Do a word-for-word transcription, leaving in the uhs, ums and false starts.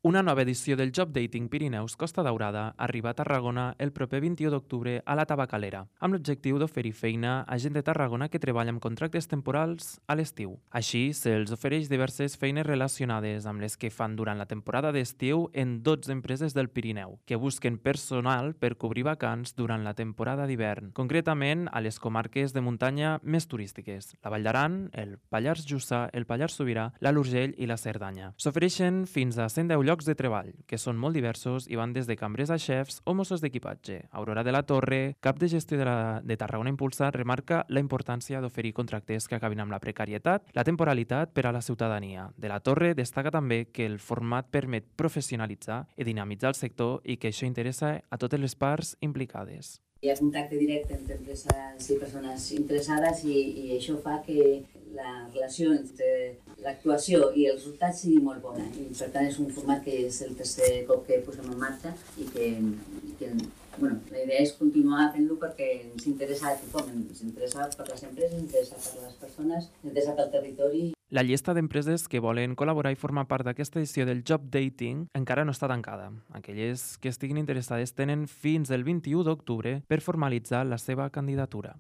Una nova edició del Job Dating Pirineus Costa Daurada arriba a Tarragona el proper vint-i-u d'octubre a la Tabacalera, amb l'objectiu d'oferir feina a gent de Tarragona que treballa amb contractes temporals a l'estiu. Així, se'ls ofereix diverses feines relacionades amb les que fan durant la temporada d'estiu en dotze empreses del Pirineu, que busquen personal per cobrir vacants durant la temporada d'hivern, concretament a les comarques de muntanya més turístiques, la Vall d'Aran, el Pallars Jussà, el Pallars Sobirà, l'Alt Urgell i la Cerdanya. S'ofereixen fins a cent deu llocs de treball, que són molt diversos i van des de cambrers a xefs o mossos d'equipatge. Aurora de la Torre, cap de gestió de, la, de Tarragona Impulsa, remarca la importància d'oferir contractes que acabin amb la precarietat, la temporalitat per a la ciutadania. De la Torre destaca també que el format permet professionalitzar i dinamitzar el sector i que això interessa a totes les parts implicades. Hi ha contacte directe entre empreses i persones interessades i, i això fa que la relació entre l'actuació i els resultats sigui molt bona. I per tant és un format que és el tercer cop que posem en marxa i que, que bueno, la idea és continuar fent-lo perquè ens interessa a tothom, ens interessa per les empreses, ens interessa per les persones, ens interessa pel territori. La llista d'empreses que volen col·laborar i formar part d'aquesta edició del Job Dating encara no està tancada. Aquelles que estiguin interessades tenen fins el vint-i-u d'octubre per formalitzar la seva candidatura.